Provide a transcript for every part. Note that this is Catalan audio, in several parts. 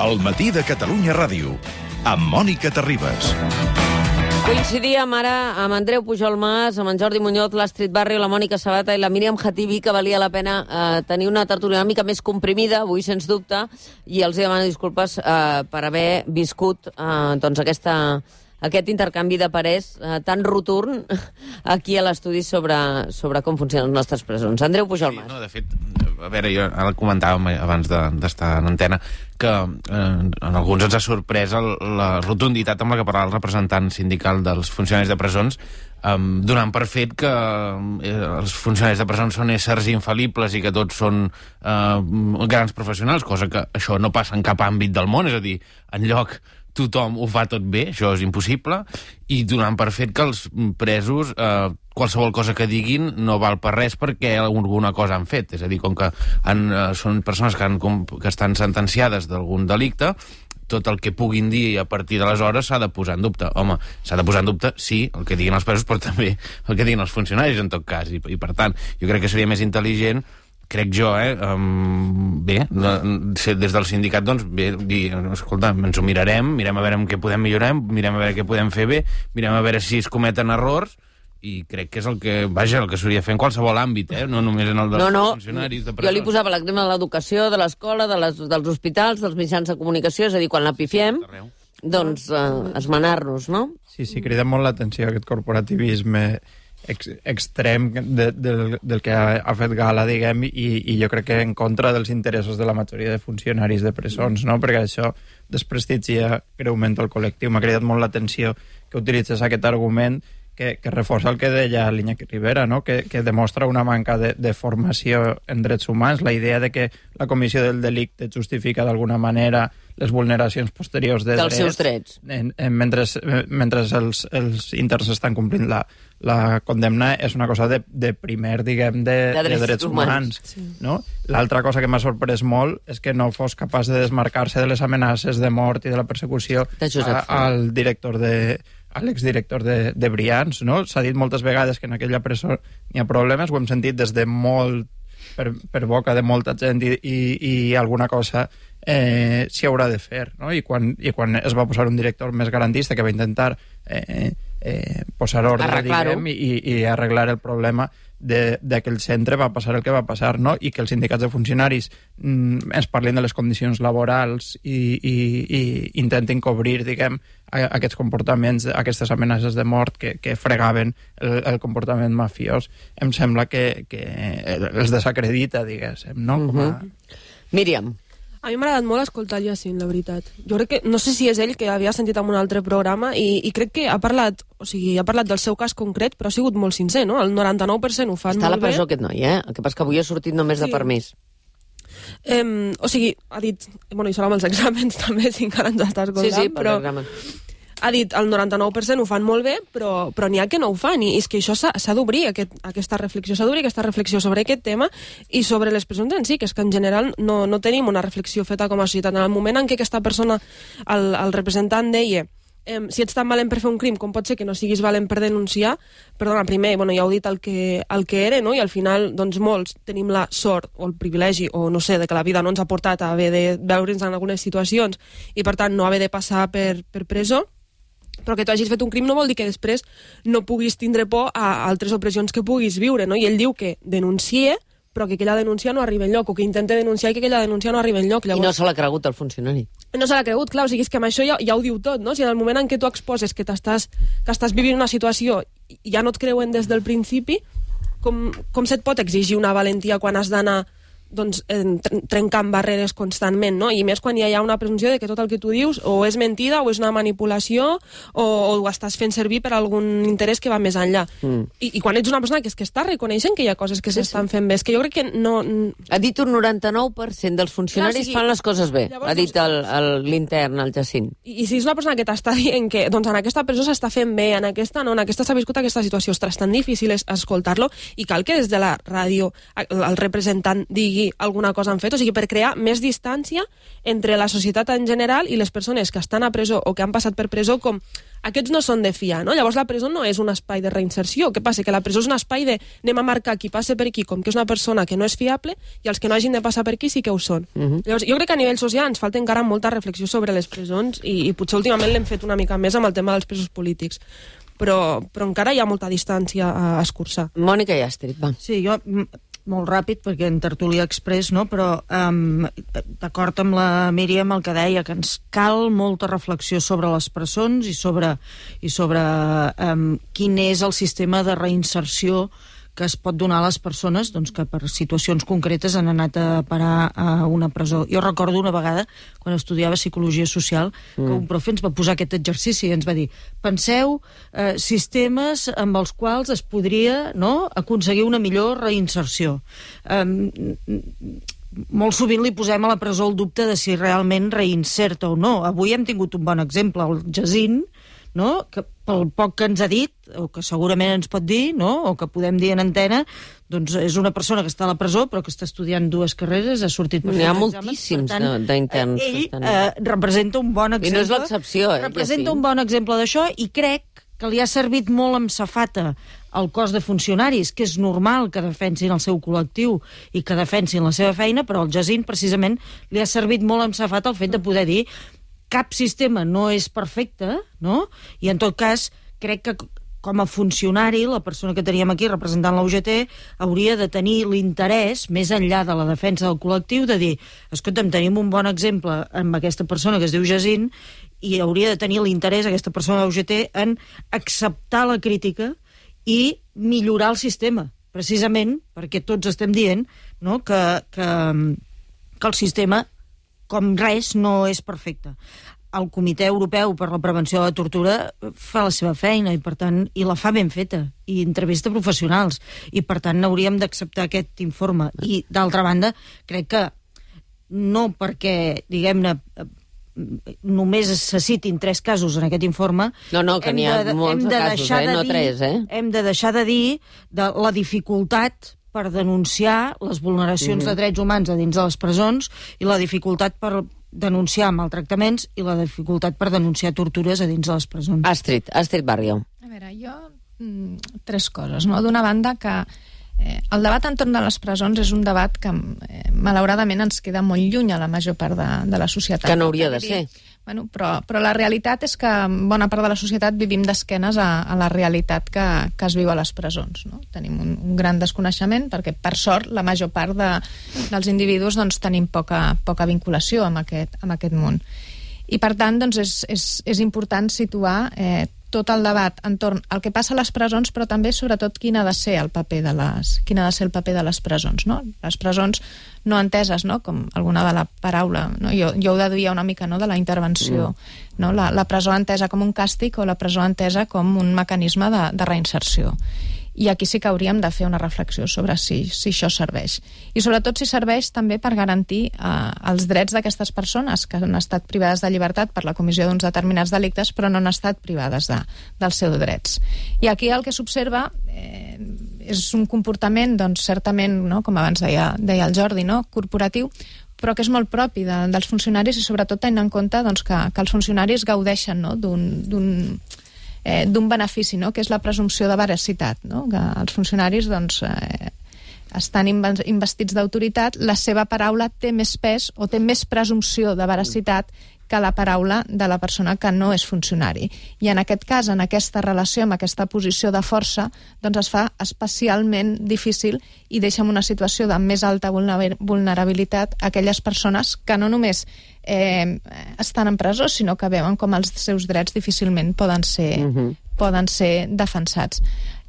El matí de Catalunya Ràdio, amb Mònica Terribas. Coincidíem ara amb Andreu Pujol Mas, amb en Jordi Muñoz, l'Astrid Barrio, la Mònica Sabata i la Míriam Khatibi, que valia la pena tenir una tertúlia una mica més comprimida, avui sens dubte, i els demano disculpes per haver viscut doncs aquest intercanvi de parers tan roturn aquí a l'estudi sobre com funcionen les nostres presons. Andreu Pujol Mas. Sí, no, de fet, a veure, jo ara comentàvem abans d'estar en antena que en alguns ens ha sorprès la rotunditat amb la que parlava el representant sindical dels funcionaris de presons, donant per fet que els funcionaris de presons són éssers infal·libles i que tots són grans professionals, cosa que això no passa en cap àmbit del món, és a dir, enlloc tothom ho fa tot bé, això és impossible, i donant per fet que els presos qualsevol cosa que diguin no val per res perquè alguna cosa han fet, és a dir, com que són persones que estan sentenciades d'algun delicte, tot el que puguin dir a partir d'aleshores s'ha de posar en dubte. Home, s'ha de posar en dubte, sí, el que diguin els presos, però també el que diguin els funcionaris, en tot cas, i per tant, jo crec que seria més intel·ligent, crec jo, bé, des del sindicat, doncs, bé, dir, escolta, ens ho mirem a veure en què podem millorar, mirem a veure què podem fer bé, mirem a veure si es cometen errors, i crec que és el que s'hauria de fer en qualsevol àmbit, no només en el dels funcionaris de presó. Jo li posava l'exemple de l'educació, de l'escola, dels hospitals, dels mitjans de comunicació, és a dir, quan la pifiem, doncs esmenar-nos, no? Sí, crida molt l'atenció aquest corporativisme extrem del que ha fet gala, diguem, i jo crec que en contra dels interessos de la majoria de funcionaris de presons, no? Perquè això desprestigia greument el col·lectiu. M'ha cridat molt l'atenció que utilitzes aquest argument que reforça el que deia l'Iñaki Rivera, no? Que demostra una manca de formació en drets humans, la idea de que la comissió del delicte justifica d'alguna manera les vulneracions posteriors de dels seus drets. Mentre els interns estan complint la condemna és una cosa de primer, diguem, de drets humans. Sí. No? L'altra cosa que m'ha sorprès molt és que no fos capaç de desmarcar-se de les amenaces de mort i de la persecució a l'exdirector de Brians, no? S'ha dit moltes vegades que en aquella presó n'hi ha problemes, ho hem sentit des de molt per boca de molta gent i alguna cosa s'hi haurà de fer, no? I quan es va posar un director més garantista que va intentar posar ordre, diguem, i arreglar el problema d'aquell centre, va passar el que va passar, no? I que els sindicats de funcionaris ens parlin de les condicions laborals i intentin cobrir, diguem, aquests comportaments, aquestes amenaces de mort que fregaven el comportament mafiós, em sembla que els desacredita, diguéssim, no? Míriam. A mi m'ha agradat molt escoltar el Jacint, la veritat. Jo crec que, no sé si és ell, que havia sentit en un altre programa, i crec que ha parlat del seu cas concret, però ha sigut molt sincer, no? El 99% ho fan molt bé. Està a la presó aquest noi, El que passa que avui ha sortit només de permís. Ha dit... Bueno, i serà amb els exàmens també, si encara ens està escoltant. Sí, per l'examen. Ha dit el 99% ho fan molt bé, però n'hi ha que no ho fan, i és que això s'ha d'obrir, aquesta reflexió, sobre aquest tema i sobre les presons en si, que és que en general no tenim una reflexió feta com a societat. En el moment en què aquesta persona, el representant, deia si ets tan valent per fer un crim, com pot ser que no siguis valent per denunciar? Perdona, primer, ja heu dit el que era, no? I al final, doncs, molts tenim la sort o el privilegi, o no sé, de que la vida no ens ha portat a haver de veure'ns en algunes situacions i, per tant, no haver de passar per presó. Però que tu hagis fet un crim no vol dir que després no puguis tindre por a altres opressions que puguis viure, no? I ell diu que denuncie, però que aquella denúncia no arriba enlloc, o que intenta denunciar i que aquella denúncia no arriba enlloc. Llavors... I no se l'ha cregut el funcionari. No se l'ha cregut, clar, o sigui, és que amb això ja ho diu tot, no? Si en el moment en què tu exposes que estàs vivint una situació i ja no et creuen des del principi, com se't pot exigir una valentia quan has d'anar trencant barreres constantment, no? I més quan hi ha una presumpció de que tot el que tu dius o és mentida o és una manipulació o ho estàs fent servir per algun interès que va més enllà. I quan ets una persona que està reconeixent que hi ha coses que s'estan fent bé, és que jo crec que no... Ha dit un 99% dels funcionaris fan les coses bé, ha dit l'intern, el Jacint. I si és una persona que t'està dient que en aquesta presó s'està fent bé, en aquesta no, en aquesta s'ha viscut aquesta situació, ostres, tan difícil és escoltar-lo, i cal que des de la ràdio el representant digui dir alguna cosa han fet, o sigui, per crear més distància entre la societat en general i les persones que estan a presó o que han passat per presó, com aquests no són de fiar, no? Llavors la presó no és un espai de reinserció. Què passa? Que la presó és un espai de anem a marcar qui passa per aquí com que és una persona que no és fiable i els que no hagin de passar per aquí sí que ho són. Llavors, jo crec que a nivell social ens falta encara molta reflexió sobre les presons i potser últimament l'hem fet una mica més amb el tema dels presos polítics. Però encara hi ha molta distància a escurçar. Mònica i Astrid, va. Sí, jo molt ràpid, perquè en Tertúlia Express, no? Però d'acord amb la Míriam el que deia, que ens cal molta reflexió sobre les presons i sobre quin és el sistema de reinserció que es pot donar a les persones doncs, que per situacions concretes han anat a parar a una presó. Jo recordo una vegada, quan estudiava Psicologia Social, que un profe ens va posar aquest exercici i ens va dir, penseu sistemes amb els quals es podria aconseguir una millor reinserció. Molt sovint li posem a la presó el dubte de si realment reinserta o no. Avui hem tingut un bon exemple, el Jacint, no? Que pel poc que ens ha dit, o que segurament ens pot dir, no? O que podem dir en antena, doncs és una persona que està a la presó però que està estudiant 2 carreres, ha sortit per fer exàmens. N'hi ha moltíssims d'interns. Ell representa un bon exemple. I no és l'excepció, Representa un bon exemple d'això i crec que li ha servit molt amb safata al cos de funcionaris, que és normal que defensin el seu col·lectiu i que defensin la seva feina, però al Jacint precisament li ha servit molt amb safata el fet de poder dir cap sistema no és perfecte, no? I en tot cas, crec que com a funcionari, la persona que teníem aquí representant la UGT hauria de tenir l'interès, més enllà de la defensa del col·lectiu, de dir, escolta'm, tenim un bon exemple amb aquesta persona que es diu Jacint i hauria de tenir l'interès, aquesta persona de la UGT, en acceptar la crítica i millorar el sistema, precisament perquè tots estem dient, no? que el sistema com res no és perfecte. El Comitè Europeu per la Prevenció de la Tortura fa la seva feina i per tant i la fa ben feta i entrevista professionals i per tant hauríem d'acceptar aquest informe i d'altra banda crec que no perquè diguem-ne només se citin 3 casos en aquest informe que n'hi ha molts casos, no 3 hem de deixar de dir de la dificultat per denunciar les vulneracions de drets humans a dins de les presons i la dificultat per denunciar maltractaments i la dificultat per denunciar tortures a dins de les presons. Astrid Barrio. A veure, jo 3 coses, no? D'una banda que el debat entorn de les presons és un debat que malauradament ens queda molt lluny a la major part de la societat. Que no hauria de ser. Bueno, però la realitat és que bona part de la societat vivim d'esquenes a la realitat que es viu a les presons, no? Tenim un gran desconeixement perquè, per sort, la major part dels individus doncs, tenim poca vinculació amb aquest món. I, per tant, doncs, és important situar tot el debat entorn al que passa a les presons, però també, sobretot, quin ha de ser el paper de les presons, no? Les presons no enteses, no? Com alguna de la paraula, no? Jo ho deduïa una mica, no? De la intervenció, no? La presó entesa com un càstig o la presó entesa com un mecanisme de reinserció. I aquí sí que hauríem de fer una reflexió sobre si això serveix. I sobretot si serveix també per garantir els drets d'aquestes persones que han estat privades de llibertat per la comissió d'uns determinats delictes però no han estat privades dels seus drets. I aquí el que s'observa és un comportament, doncs, certament, no? Com abans deia el Jordi, no? Corporatiu, però que és molt propi dels funcionaris i sobretot tenint en compte doncs, que els funcionaris gaudeixen, no? d'un benefici, no? Que és la presumpció de veracitat, no? Que els funcionaris doncs, estan investits d'autoritat, la seva paraula té més pes o té més presumpció de veracitat que la paraula de la persona que no és funcionari. I en aquest cas, en aquesta relació, amb aquesta posició de força, doncs es fa especialment difícil i deixa en una situació de més alta vulnerabilitat aquelles persones que no només estan en presó, sinó que veuen com els seus drets difícilment poden ser defensats.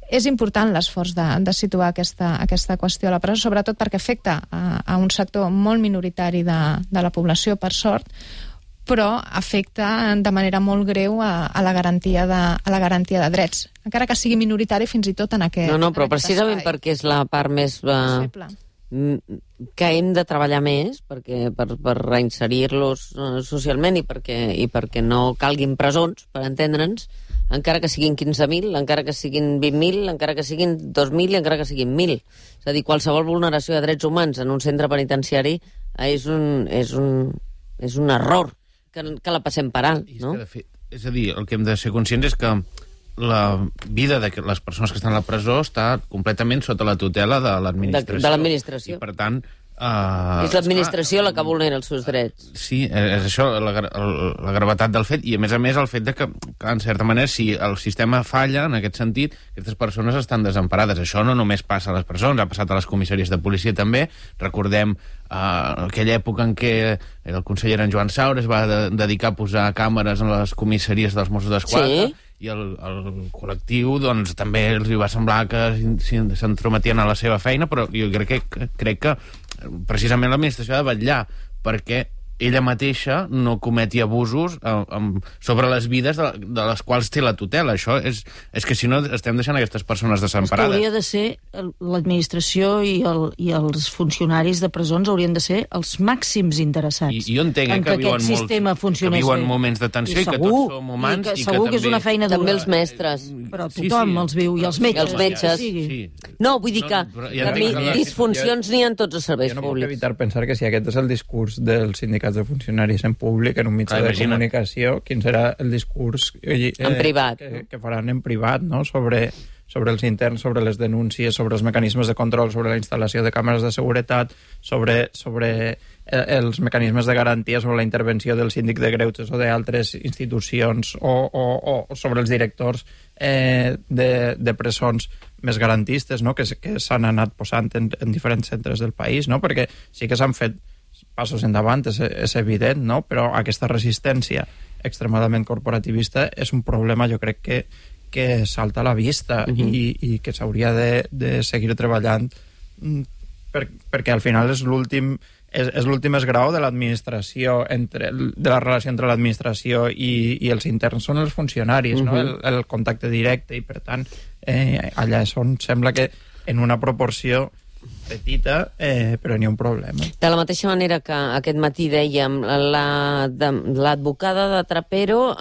És important l'esforç de situar aquesta qüestió a la presó, sobretot perquè afecta a un sector molt minoritari de la població, per sort, però afecta de manera molt greu a la garantia de drets, encara que sigui minoritari fins i tot en aquest espai. No, però precisament perquè és la part més que hem de treballar més per reinserir-los socialment i perquè no calguin presons, per entendre'ns, encara que siguin 15.000, encara que siguin 20.000, encara que siguin 2.000 i encara que siguin 1.000. És a dir, qualsevol vulneració de drets humans en un centre penitenciari és un error que la passem per alt, no? És a dir, el que hem de ser conscients és que la vida de les persones que estan a la presó està completament sota la tutela de l'administració. De l'administració. I, per tant... és l'administració la que vulnera els seus drets. Sí, és això, la gravetat del fet, i a més el fet de que, en certa manera, si el sistema falla en aquest sentit, aquestes persones estan desemparades. Això no només passa a les presons, ha passat a les comissaries de policia també. Recordem aquella època en què el conseller en Joan Saura es va dedicar a posar càmeres en les comissaries dels Mossos d'Esquadra, sí. I el col·lectiu doncs, també els hi va semblar que s'entrometien a la seva feina, però jo crec que precisament l'administració ha de vetllar perquè ella mateixa no cometi abusos sobre les vides de les quals té la tutela. Això és que si no estem deixant aquestes persones desemparades. Hauria de ser l'administració i els funcionaris de presons haurien de ser els màxims interessats. I jo entenc que aquest sistema funcionés que viuen moments de tensió i que tots som humans. I que segur que és una feina dura. També els mestres. Però tothom els viu, i els metges. Els metges. Sí. No, vull dir que disfuncions n'hi ha en tots els serveis públics. Jo no puc públics. evitar pensar que si aquest és el discurs dels sindicats de funcionaris en públic, en un mitjà de comunicació, quin serà el discurs en privat, que faran en privat, no? sobre els interns, sobre les denúncies, sobre els mecanismes de control, sobre la instal·lació de càmeres de seguretat, sobre els mecanismes de garantia, sobre la intervenció del síndic de greuges o d'altres institucions o sobre els directors de presons més garantistes, no? que s'han anat posant en diferents centres del país, no? Perquè sí que s'han fet passos endavant, és evident, no? Però aquesta resistència extremadament corporativista és un problema, jo crec que salta a la vista i que s'hauria de seguir treballant perquè al final és l'últim esgrau de l'administració, de la relació entre l'administració i els interns són els funcionaris, no? El contacte directe, i per tant allà és on sembla que en una proporció petita, però n'hi ha un problema. De la mateixa manera que aquest matí dèiem, l'advocada de Trapero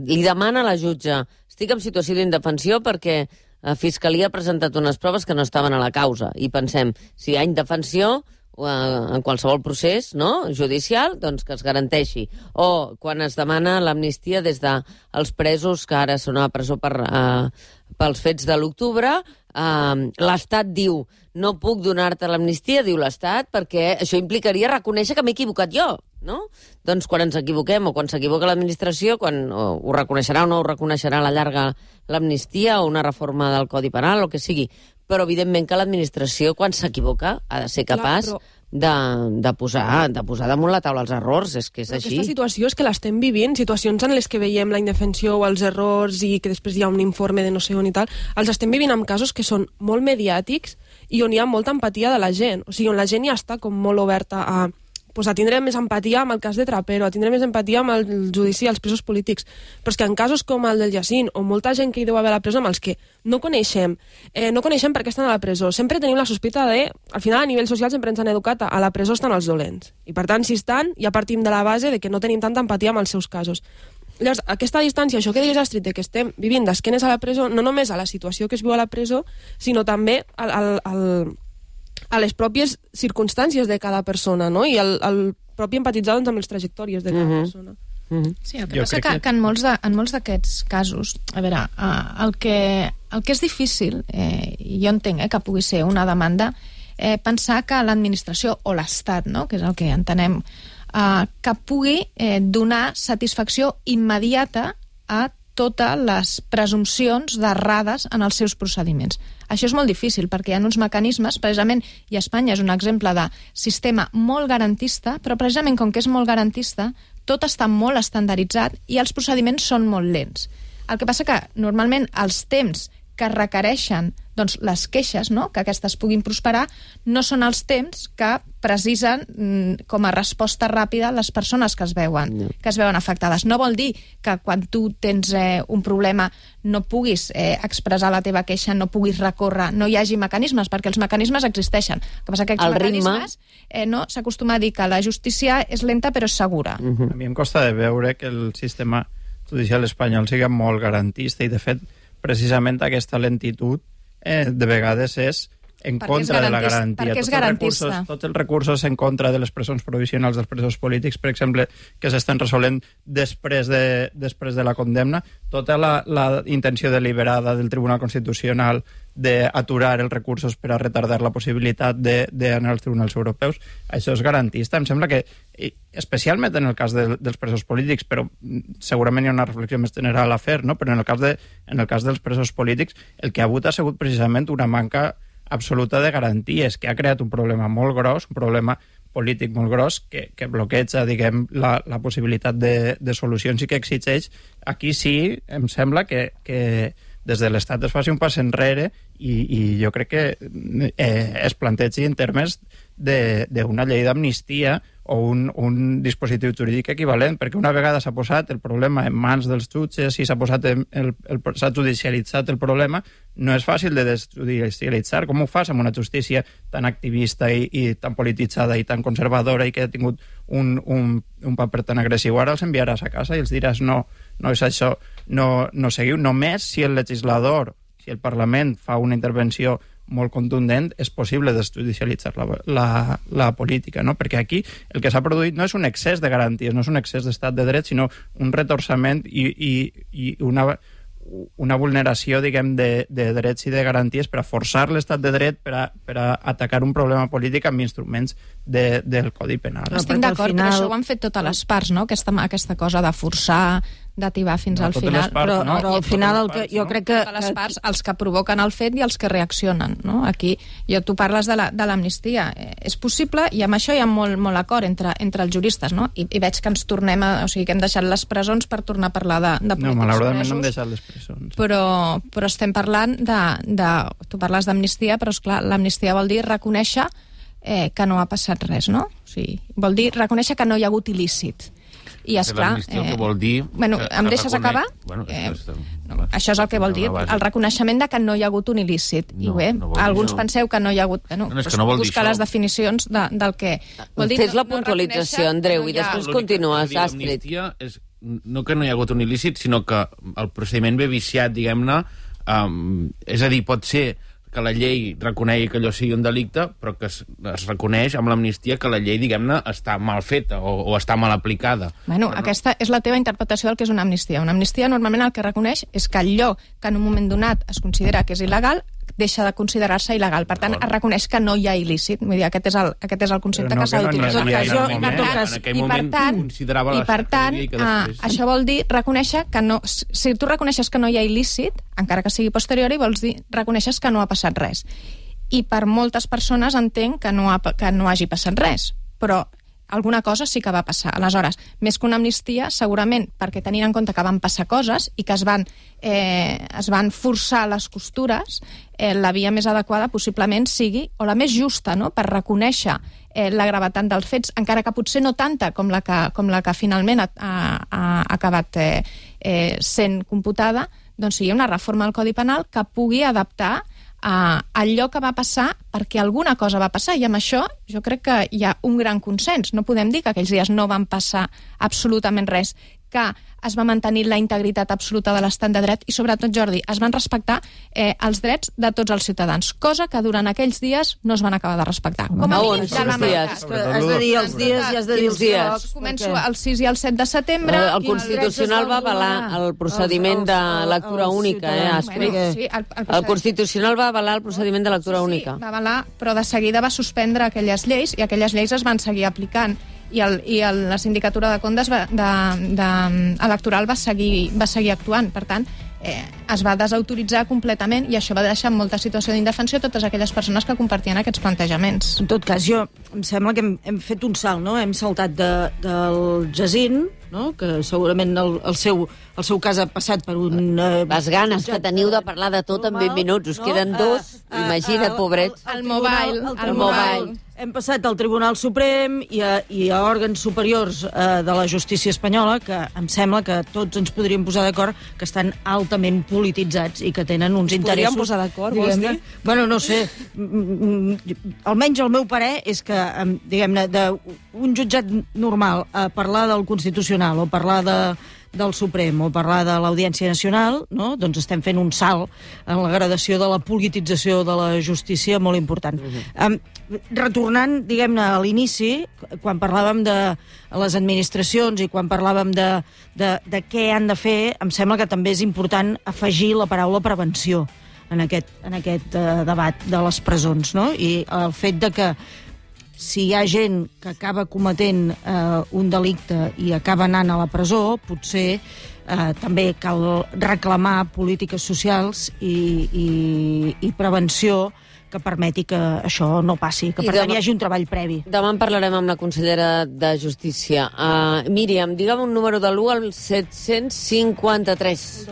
li demana a la jutge: estic en situació d'indefensió perquè la Fiscalia ha presentat unes proves que no estaven a la causa. I pensem, si hi ha indefensió en qualsevol procés, no, judicial, doncs que es garanteixi. O quan es demana l'amnistia des dels presos que ara són a la presó pels fets de l'octubre, l'Estat diu: no puc donar-te l'amnistia, diu l'Estat, perquè això implicaria reconèixer que m'he equivocat jo, no? Doncs quan ens equivoquem o quan s'equivoca l'administració, quan ho reconeixerà o no ho reconeixerà a la llarga l'amnistia o una reforma del Codi Penal, o que sigui. Però evidentment que l'administració, quan s'equivoca, ha de ser capaç de posar damunt la taula els errors, és que és així. Aquesta situació és que l'estem vivint, situacions en les que veiem la indefensió o els errors i que després hi ha un informe de no sé on i tal, els estem vivint amb casos que són molt mediàtics i on hi ha molta empatia de la gent, o sigui, on la gent ja està com molt oberta a tindre més empatia amb el cas de Trapero, a tindre més empatia amb el judici als presos polítics. Però és que en casos com el del Jacint, o molta gent que hi deu haver a la presó, amb els que no coneixem per què estan a la presó, sempre tenim la sospita de... Al final, a nivell social, sempre ens han educat a la presó estan els dolents. I per tant, si estan, ja partim de la base de que no tenim tanta empatia amb els seus casos. Llavors, aquesta distància, això que deies, Astrid, de que estem vivint d'esquenes a la presó, no només a la situació que es viu a la presó, sinó també a les pròpies circumstàncies de cada persona, no? I el propi empatitzar amb les trajectòries de cada persona. Sí, el que passa que en molts d'aquests casos, a veure, el que és difícil, jo entenc que pugui ser una demanda, pensar que l'administració o l'Estat, no?, que és el que entenem, que pugui donar satisfacció immediata a totes les presumpcions d'errades en els seus procediments. Això és molt difícil perquè hi ha uns mecanismes, precisament, i Espanya és un exemple de sistema molt garantista, però precisament com que és molt garantista, tot està molt estandarditzat i els procediments són molt lents. El que passa que normalment els temps que requereixen doncs, les queixes, no?, que aquestes puguin prosperar, no són els temps que precisen com a resposta ràpida les persones que es veuen afectades. No vol dir que quan tu tens un problema no puguis expressar la teva queixa, no puguis recórrer, no hi hagi mecanismes, perquè els mecanismes existeixen. El que passa que aquests mecanismes s'acostuma a dir que la justícia és lenta però és segura. A mi em costa de veure que el sistema judicial espanyol sigui molt garantista i, de fet, precisament aquesta lentitud de vegades és en contra de la garantia. Perquè és garantista. Tots els recursos en contra de les presons provisionals dels presos polítics, per exemple, que s'estan resolent després de la condemna, tota la intenció deliberada del Tribunal Constitucional d'aturar els recursos per a retardar la possibilitat d'anar als tribunals europeus, això és garantista. Em sembla que, especialment en el cas dels presos polítics, però segurament hi ha una reflexió més general a fer, no? Però en el cas dels presos polítics, el que ha hagut ha sigut precisament una manca absoluta de garanties, que ha creat un problema molt gros, un problema polític molt gros, que bloqueja, diguem, la possibilitat de solucions i que exigeix. Aquí sí, em sembla que des de l'Estat es faci un pas enrere i jo crec que es plantegi en termes d'una llei d'amnistia o un dispositiu jurídic equivalent, perquè una vegada s'ha posat el problema en mans dels jutges i s'ha judicialitzat el problema, no és fàcil de desjudicialitzar. Com ho fas amb una justícia tan activista i tan polititzada i tan conservadora i que ha tingut un paper tan agressiu? Ara els enviaràs a casa i els diràs no és això, no seguiu. Només si el legislador, si el Parlament fa una intervenció molt contundent, és possible desjudicialitzar la política, no? Perquè aquí el que s'ha produït no és un excés de garanties, no és un excés d'estat de dret, sinó un retorçament i una vulneració, diguem, de drets i de garanties per a forçar l'estat de dret per a atacar un problema polític amb instruments del Codi Penal. Estic d'acord, però això ho han fet totes les parts, no? Aquesta cosa de forçar, d'ativar fins al final. Però al final jo crec que... Totes les parts, els que provoquen el fet i els que reaccionen, no? Aquí, tu parles de l'amnistia. És possible, i amb això hi ha molt acord entre els juristes, no? I veig que ens tornem o sigui, que hem deixat les presons per tornar a parlar de polítics presos. No, malauradament no hem deixat les presons. Però estem parlant tu parles d'amnistia, però esclar, l'amnistia vol dir reconèixer que no ha passat res, no? O sigui, vol dir reconèixer que no hi ha hagut il·lícit. I esclar... que vol dir... Bueno, em deixes acabar? Bueno, això és el que vol dir, el reconeixement de que no hi ha hagut un il·lícit. I bé, alguns penseu que no hi ha hagut... Buscar les definicions del que... Fes la puntualització, Andreu, i després continues, Astrid. L'amnistia és no que no hi ha hagut un il·lícit, sinó que el procediment ve viciat, diguem-ne, és a dir, pot ser que la llei reconegui que allò sigui un delicte, però que es reconeix amb l'amnistia que la llei, diguem-ne, està mal feta o està mal aplicada. Bueno, aquesta és la teva interpretació del que és una amnistia. Una amnistia normalment el que reconeix és que allò que en un moment donat es considera que és il·legal deixa de considerar-se il·legal. Per tant, es reconeix que no hi ha il·lícit. Vull dir, aquest és el concepte que s'ha d'utilitzar. I per tant, això vol dir reconèixer que no... Si tu reconeixes que no hi ha il·lícit, encara que sigui posteriori, vols dir reconeixes que no ha passat res. I per moltes persones entenc que no hagi passat res. Però alguna cosa sí que va passar. Aleshores, més que una amnistia, segurament perquè tenint en compte que van passar coses i que es van forçar les costures, la via més adequada possiblement sigui, o la més justa, no?, per reconèixer la gravetat dels fets, encara que potser no tanta com la que finalment ha acabat sent computada, doncs sigui una reforma del Codi Penal que pugui adaptar allò que va passar perquè alguna cosa va passar, i amb això jo crec que hi ha un gran consens. No podem dir que aquells dies no van passar absolutament res, que es va mantenir la integritat absoluta de l'estat de dret i, sobretot, Jordi, es van respectar els drets de tots els ciutadans, cosa que durant aquells dies no es van acabar de respectar. Com a mínim de la meitat. Has de dir els dies i has de dir els dies. Començo el 6 i el 7 de setembre. El Constitucional va avalar el procediment de lectura única, Astrid. El Constitucional va avalar el procediment de lectura única. Sí, va avalar, però de seguida va suspendre aquelles lleis i aquelles lleis es van seguir aplicant. I la Sindicatura de Comptes electoral va seguir actuant. Per tant, es va desautoritzar completament i això va deixar en molta situació d'indefensió totes aquelles persones que compartien aquests plantejaments. En tot cas, em sembla que hem fet un salt, no? Hem saltat del Jacint, no?, que segurament el seu cas ha passat per un... Les ganes que teniu de parlar de tot en 20 minuts, us queden dos, imagina't, pobrets. El mobile. Hem passat al Tribunal Suprem i a òrgans superiors de la justícia espanyola, que em sembla que tots ens podríem posar d'acord que estan altament polititzats i que tenen uns interessos... Podríem posar d'acord, vols dir? Bueno, no sé. Almenys el meu parer és que, diguem-ne, d'un jutjat normal a parlar del Constitucional o parlar del Suprem o parlar de l'Audiència Nacional, no? Doncs estem fent un salt en la gradació de la politització de la justícia molt important. Retornant, diguem-ne, a l'inici, quan parlàvem de les administracions i quan parlàvem de què han de fer, em sembla que també és important afegir la paraula prevenció en aquest debat de les presons, no? I el fet de que si hi ha gent que acaba cometent un delicte i acaba anant a la presó, potser també cal reclamar polítiques socials i prevenció que permeti que això no passi, que per tant hi hagi un treball previ. Demà en parlarem amb la consellera de Justícia. Míriam, digue'm un número de l'1 al 753.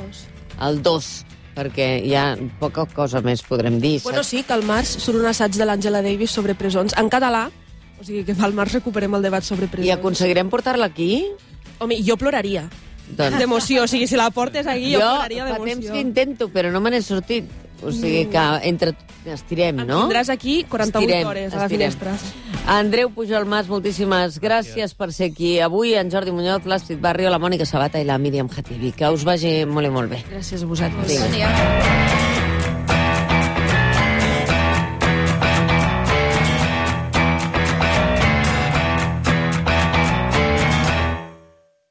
El 2, perquè hi ha poca cosa més podrem dir. Bueno, sí, que al març surt un assaig de l'Angela Davis sobre presons, en català, o sigui que al març recuperem el debat sobre presons. I aconseguirem portar-la aquí? Home, jo ploraria. D'emoció, o sigui, si la portes aquí, jo ploraria d'emoció. Jo fa temps que intento, però no me n'he sortit. O sigui que entre estirem, no? Em tindràs aquí 48 hores a la finestra. Andreu Pujol Mas, moltíssimes gràcies per ser aquí avui. En Jordi Muñoz, l'Astrid Barrio, la Mònica Sabata i la Míriam Khatibi. Que us vagi molt i molt bé. Gràcies a vosaltres. Bon dia.